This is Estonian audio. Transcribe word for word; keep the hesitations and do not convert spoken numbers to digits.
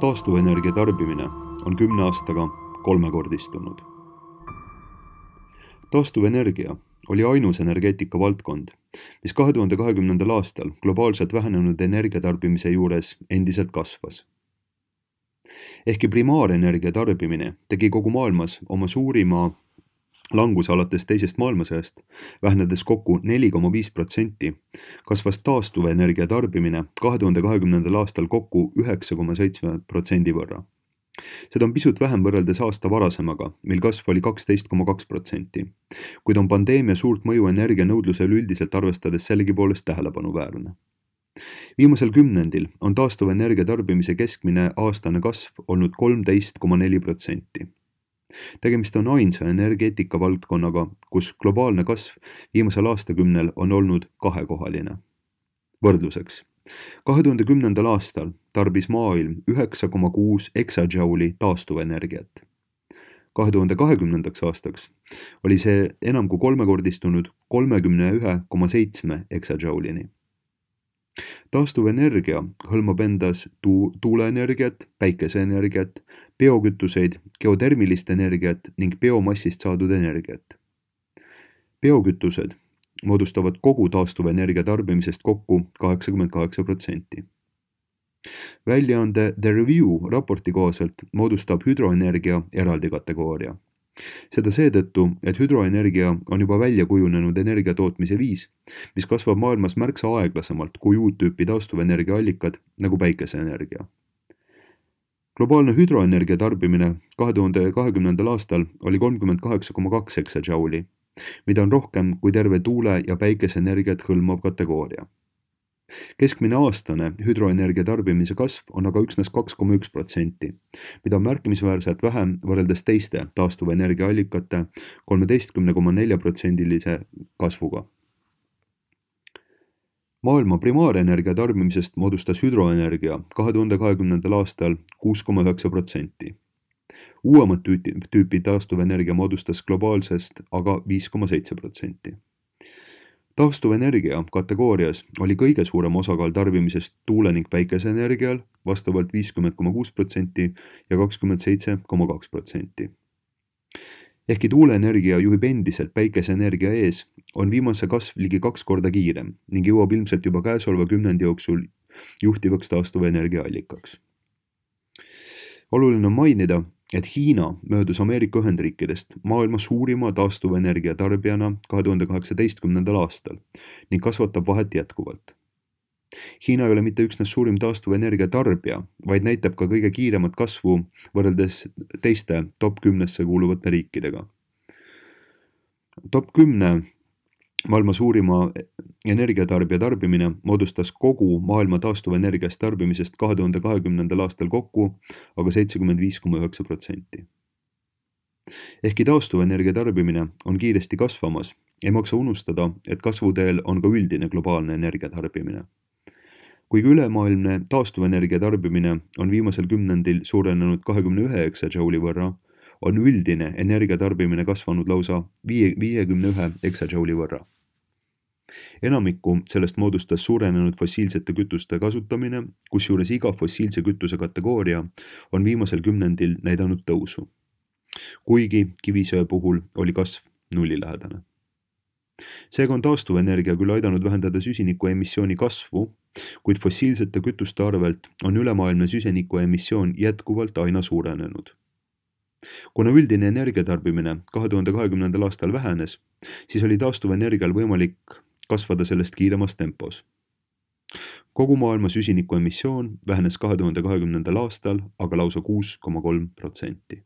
Taastuvenergia tarbimine on kümne aastaga kolmekordistunud. Taastuvenergia oli ainus energeetika valdkond, mis kahe tuhande kahekümnendal aastal globaalselt vähenenud energiatarbimise juures endiselt kasvas. Ehkki primaarenergia tarbimine tegi kogu maailmas oma suurima languse alates teisest maailmasõjast, vähenedes kokku neli koma viis protsenti, kasvas taastuvenergia tarbimine kahe tuhande kahekümnendal aastal kokku üheksa koma seitse protsendi võrra. Seda on pisut vähem võrreldes aasta varasemaga, mil kasv oli kaksteist koma kaks protsenti, kuid on pandeemia suurt mõju energianõudlusel üldiselt arvestades sellegipoolest tähelepanuväärne. Viimasel kümnendil on taastuvenergia tarbimise keskmine aastane kasv olnud kolmteist koma neli protsenti. Tegemist on ainsa energeetika valdkonnaga, kus globaalne kasv viimasel aastakümnel on olnud kahekohaline. Võrdluseks, kahe tuhande kümnendal aastal tarbis maailm üheksa koma kuus exajouli taastuvenergiat. kahe tuhande kahekümnendaks aastaks oli see enam kui kolmekordistunud kolmekümne ühe koma seitsme exajoulini. Taastuvenergia hõlmab endas tu- tuuleenergiat, päikeseenergiat, biokütuseid, geotermilist energiat ning biomassist saadud energiat. Biokütused moodustavad kogu taastuvenergia tarbimisest kokku kaheksakümmend kaheksa protsenti. Väljaande The Review raporti kohaselt moodustab hüdroenergia eraldi kategooria. Seda seetõttu, et hüdroenergia on juba välja kujunenud energiatootmise viis, mis kasvab maailmas märksa aeglasemalt kui uut tüüpi taastuvenergia allikad nagu päikeseenergia. Globaalne hüdroenergia tarbimine kahe tuhande kahekümnendal aastal oli kolmkümmend kaheksa koma kaks exajouli, mida on rohkem kui terve tuule- ja päikeseenergiat hõlmav kategooria. Keskmine aastane hüdroenergia tarbimise kasv on aga üksnes kaks koma üks protsenti, mida on märkimisväärselt vähem võrreldes teiste taastuvenergia allikate kolmteist koma neli protsendilise kasvuga. Maailma primaarenergia tarbimisest moodustas hüdroenergia kahe tuhande kahekümnendal aastal kuus koma üheksa protsenti. Uuemat tüüpi taastuvenergia moodustas globaalsest aga viis koma seitse protsenti. Taastuvenergia kategoorias oli kõige suurem osakaal tarbimisest tuule- ning päikeseenergial, vastavalt viiskümmend koma kuus protsenti ja kakskümmend seitse koma kaks protsenti. Ehkki tuuleenergia juhib endiselt päikeseenergia ees, on viimase kasv ligi kaks korda kiirem ning jõuab ilmselt juba käesoleva kümnendi jooksul juhtivaks taastuvenergia allikaks. Oluline on mainida, et Hiina möödus Ameerika Ühendriikidest maailma suurima taastuvenergia tarbijana kahe tuhande kaheksateistkümnendal aastal ning kasvatab vahet jätkuvalt. Hiina ei ole mitte üksnes suurim taastuvenergia tarbija, vaid näitab ka kõige kiiremat kasvu võrreldes teiste top kümnesse kuuluvate riikidega. top kümne maailma suurima energiatarbija tarbimine moodustas kogu maailma taastuvenergiast tarbimisest kahe tuhande kahekümnendal aastal kokku aga seitsekümmend viis koma üheksa protsenti. Ehkki taastuvenergia tarbimine on kiiresti kasvamas, ei maksa unustada, et kasvuteel on ka üldine globaalne energiatarbimine. Kuigi ülemaailmne taastuvenergia tarbimine on viimasel kümnendil suurenenud kahekümne ühe exajouli võrra, on üldine energiatarbimine kasvanud lausa viiekümne ühe exajouli võrra. Enamikku sellest moodustas suurenenud fossiilsete kütuste kasutamine, kusjuures iga fossiilse kütuse kategooria on viimasel kümnendil näidanud tõusu. Kuigi kivisöe puhul oli kasv nullilähedane. Seega on taastuvenergia küll aidanud vähendada süsiniku emissiooni kasvu, kuid fossiilsete kütuste arvelt on ülemaailmne süsiniku emissioon jätkuvalt aina suurenenud. Kuna üldine energiatarbimine kahe tuhande kahekümnendal aastal vähenes, siis oli taastuvenergial võimalik kasvada sellest kiiremas tempos. Kogu maailma süsiniku emissioon vähenes kahe tuhande kahekümnendal aastal aga lausa kuus koma kolm protsenti.